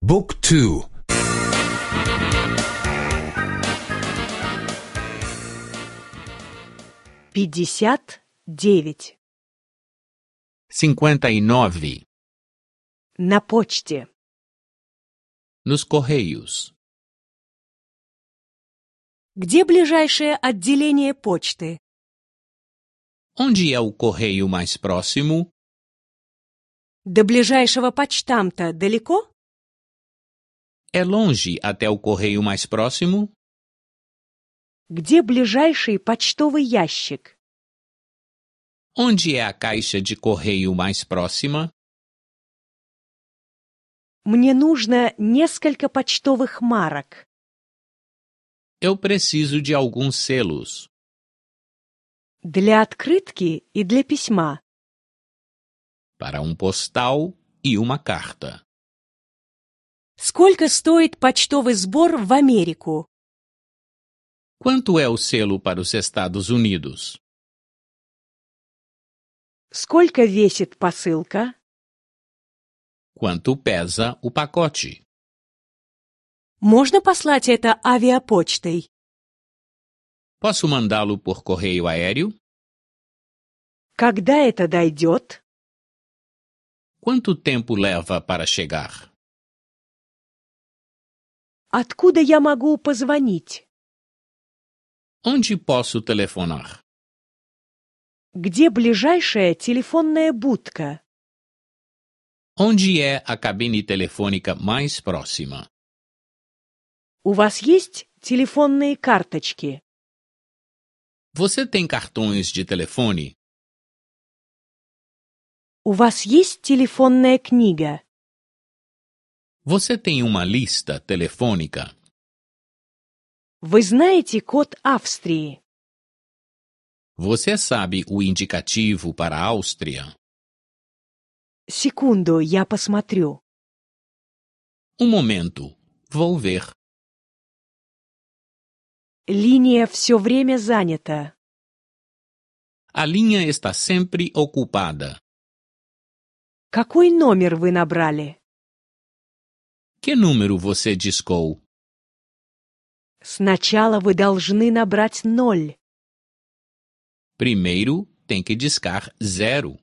Book 2. 59. 59. На почте. Nos correios. Где ближайшее отделение почты? Onde é o correio mais próximo? До ближайшего почтамта далеко? É longe até o correio mais próximo? Где ближайший почтовый ящик? Onde é a caixa de correio mais próxima? Мне нужно несколько почтовых марок. Eu preciso de alguns selos. Для открытки и для письма. Para postal e uma carta. Сколько стоит почтовый сбор в Америку? Quanto é o selo para os Estados Unidos? Сколько весит посылка? Quanto pesa o pacote? Можно послать это авиапочтой? Posso mandá-lo por correio aéreo? Когда это дойдет? Quanto tempo leva para chegar? Откуда я могу позвонить? Onde posso telefonar? Где ближайшая телефонная будка? Onde é a cabine telefônica mais próxima? У вас есть телефонные карточки? Você tem cartões de telefone? У вас есть телефонная книга? Você tem uma lista telefônica? Вы знаете код Австрии? Você sabe o indicativo para a Áustria? Секунду, я посмотрю. Momento, vou ver. Линия все время занята. A linha está sempre ocupada. Какой номер вы набрали? Que número você discou? Сначала вы должны набрать 0. Primeiro tem que discar 0.